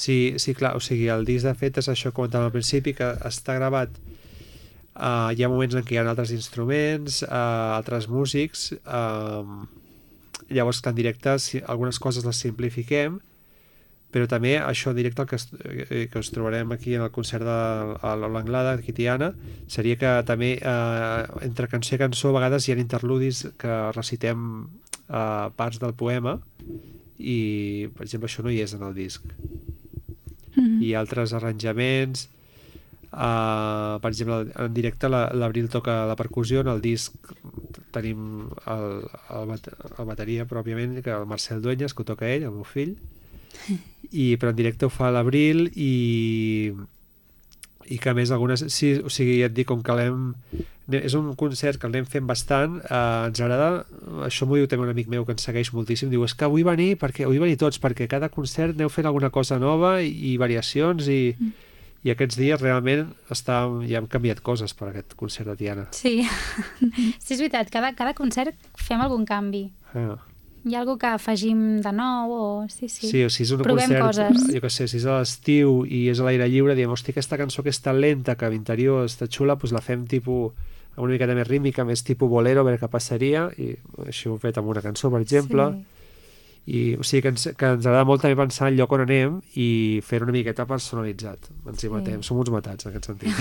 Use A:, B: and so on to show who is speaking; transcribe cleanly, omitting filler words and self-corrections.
A: Sí, sí, clar, o sigui, el disc de fet és això que comentàvem al principi, que està gravat, hi ha moments en què hi ha altres instruments, altres músics, llavors que en directe algunes coses les simplifiquem, però també això directe que us trobarem aquí en el concert de l'Anglada, aquí Tiana, seria que també entre cançó i cançó a vegades hi ha interludis que recitem parts del poema i, per exemple, això no hi és en el disc. I altres arranjaments, per exemple, en directe l'Abril toca la percussió, en el disc tenim el bateria pròpiament, que el Marcel Dueñas, que ho toca ell, el meu fill, però en directe ho fa l'Abril i que a més algunes... Sí, o sigui, ja et dic, com que és un concert que l'anem fent bastant, ens agrada, això m'ho diu també un amic meu que ens segueix moltíssim, diu, és que vull venir tots, perquè cada concert aneu fent alguna cosa nova i variacions i aquests dies realment ja hem canviat coses per aquest concert de Tiana.
B: Sí, sí, és veritat, cada concert fem algun canvi. Hi ha alguna que afegim de nou o... Sí,
A: o si és un
B: provem
A: concert,
B: coses.
A: Jo què sé, si és a l'estiu i és a l'aire lliure, diem, hosti, aquesta cançó que és tan lenta, que a l'interior està xula, doncs la fem tipus una miqueta més rítmica, més tipus bolero, a veure què passaria, i així ho hem fet amb una cançó, per exemple. I, o sigui, que ens agrada molt també pensar el lloc on anem i fer una miqueta personalitzat. Ens hi matem, som uns matats en aquest sentit.